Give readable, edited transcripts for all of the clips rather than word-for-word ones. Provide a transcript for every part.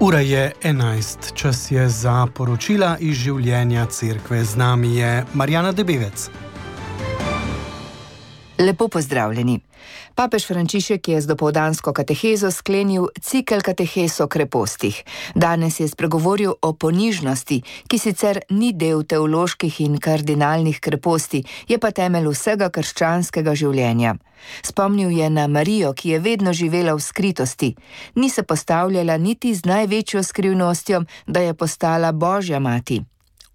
Ura je 11, čas je za poročila iz življenja cerkve. Z nami je Marjana Debevec. Lepo pozdravljeni. Papež Frančišek je z dopoldansko katehezo sklenil cikel katehes o krepostih. Danes je spregovoril o ponižnosti, ki sicer ni del teoloških in kardinalnih kreposti, je pa temelj vsega krščanskega življenja. Spomnil je na Marijo, ki je vedno živela v skritosti. Ni se postavljala niti z največjo skrivnostjo, da je postala Božja mati.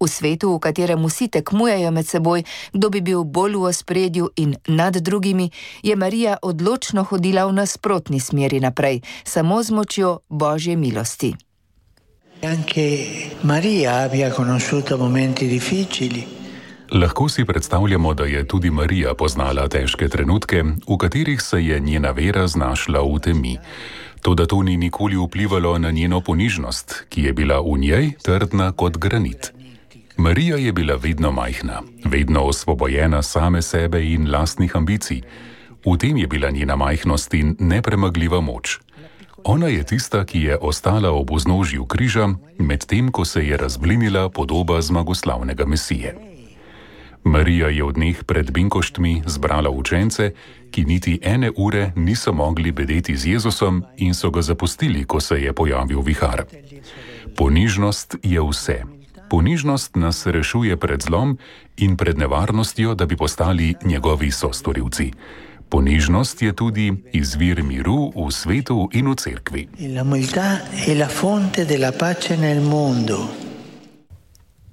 V svetu, v katerem vsi tekmujejo med seboj, kdo bi bil bolj v ospredju in nad drugimi, je Marija odločno hodila v nasprotni smeri naprej, samo z močjo Božje milosti. Lahko si predstavljamo, da je tudi Marija poznala težke trenutke, v katerih se je njena vera znašla v temi. Toda to ni nikoli vplivalo na njeno ponižnost, ki je bila v njej trdna kot granit. Marija je bila vedno majhna, vedno osvobojena same sebe in lastnih ambicij. V tem je bila njena majhnost in nepremagljiva moč. Ona je tista, ki je ostala ob vznožju križa, medtem ko se je razblinila podoba zmagoslavnega Mesije. Marija je v dneh pred binkoštmi zbrala učence, ki niti ene ure niso mogli bedeti z Jezusom in so ga zapustili, ko se je pojavil vihar. Ponižnost je vse. Ponižnost nas rešuje pred zlom in pred nevarnostjo, da bi postali njegovi sostorilci. Ponižnost je tudi izvir miru v svetu in v cerkvi.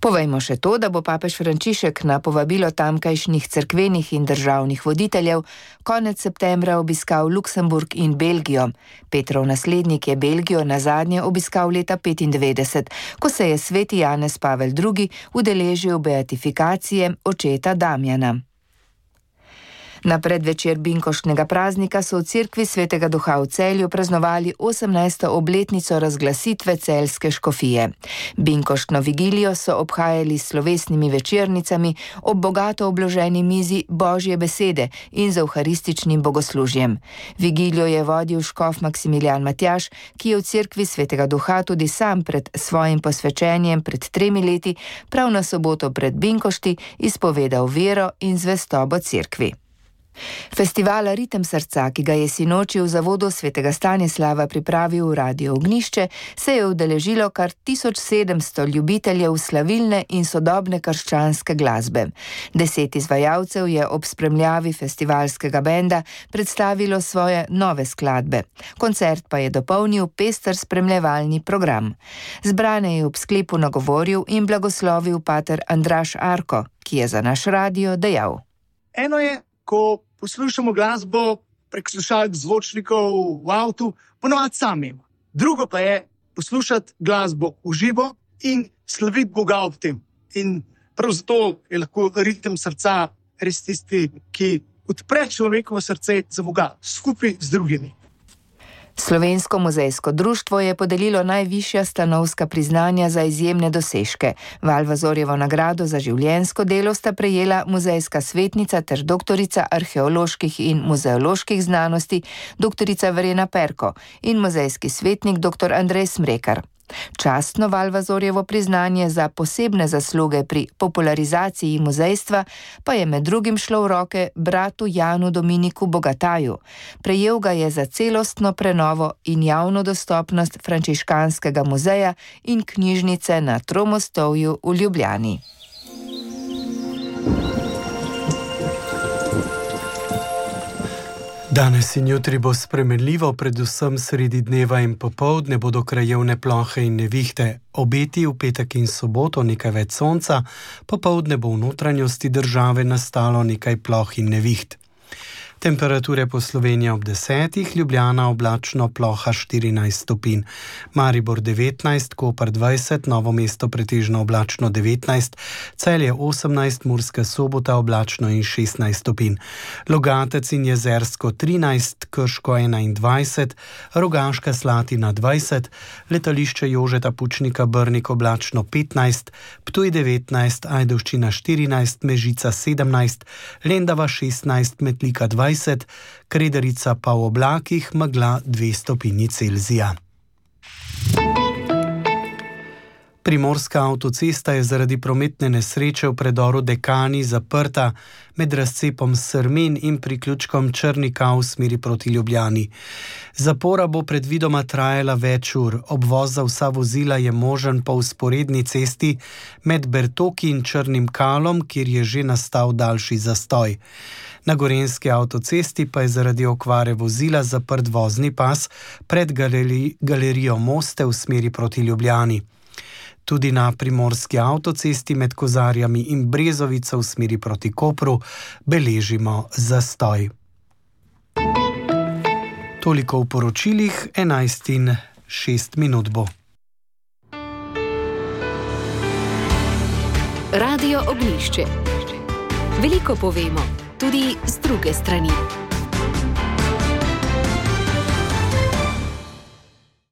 Povejmo še to, da bo papež Frančišek na povabilo tamkajšnjih cerkvenih in državnih voditeljev konec septembra obiskal Luksemburg in Belgijo. Petrov naslednik je Belgijo nazadnje obiskal leta 1995, ko se je sveti Janez Pavel II. Udeležil beatifikacije očeta Damjana. Na predvečer binkoštnega praznika so v cerkvi Svetega Duha v Celju praznovali 18. obletnico razglasitve celjske škofije. Binkoštno vigilijo so obhajali s slovesnimi večernicami ob bogato obloženi mizi Božje besede in z evharističnim bogoslužjem. Vigilijo je vodil škof Maksimilijan Matjaž, ki je v cerkvi Svetega Duha tudi sam pred svojim posvečenjem pred 3 leti, prav na soboto pred binkošti, izpovedal vero in zvestobo cerkvi. Festivala Ritem srca, ki ga je sinoči v zavodu Svetega Stanislava pripravil v Radio Ognjišče, se je udeležilo kar 1700 ljubiteljev slavilne in sodobne krščanske glasbe. 10 izvajalcev je ob spremljavi festivalskega benda predstavilo svoje nove skladbe. Koncert pa je dopolnil pester spremljevalni program. Zbrane je ob sklepu nagovoril in blagoslovil pater Andraž Arko, ki je za naš radio dejal: Eno je, ko poslušamo glasbo prek slušalk zvočnikov v avtu, ponovadi sami. Drugo pa je poslušati glasbo v živo in slaviti Boga ob tem. In prav zato je lahko ritem srca res tisti, ki odpre človekovo srce za Boga, skupaj z drugimi. Slovensko muzejsko društvo je podelilo najvišja stanovska priznanja za izjemne dosežke. Valvazorjevo nagrado za življenjsko delo sta prejela muzejska svetnica ter doktorica arheoloških in muzeoloških znanosti doktorica Verena Perko in muzejski svetnik dr. Andrej Smrekar. Častno Valvazorjevo priznanje za posebne zasluge pri popularizaciji muzejstva pa je med drugim šlo v roke bratu Janu Dominiku Bogataju. Prejel ga je za celostno prenovo in javno dostopnost frančiškanskega muzeja in knjižnice na Tromostovju v Ljubljani. Danes in jutri bo spremenljivo, predvsem sredi dneva in popoldne bodo krajevne plohe in nevihte. Obeti v petek in soboto nekaj več sonca, popoldne bo v notranjosti države nastalo nekaj ploh in neviht. Temperature po Sloveniji ob 10, Ljubljana oblačno, ploha 14 stopinj, Maribor 19, Koper 20, Novo mesto pretežno oblačno 19, Celje 18, Murska Sobota oblačno in 16 stopinj, Logatec in Jezersko 13, Krško 21, Rogaška Slatina 20, letališče Jožeta Pučnika Brnik oblačno 15, Ptuj 19, Ajdovščina 14, Mežica 17, Lendava 16, Metlika 20, Krederica pa v oblakih, megla 2 stopinji Celzija. Primorska avtocesta je zaradi prometne nesreče v predoru Dekani zaprta med razcepom Srmin in priključkom Črnika v smeri proti Ljubljani. Zapora bo predvidoma trajala več ur. Obvoz za vsa vozila je možen po vzporedni cesti med Bertoki in Črnim Kalom, kjer je že nastal daljši zastoj. Na Gorenjski avtocesti pa je zaradi okvare vozila zaprt vozni pas pred galerijo Moste v smeri proti Ljubljani. Tudi na Primorski avtocesti med Kozarjami in Brezovico v smeri proti Kopru beležimo zastoj. Toliko v poročilih, 11:06 bo. Radio Oglišče. Veliko povemo, tudi z druge strani.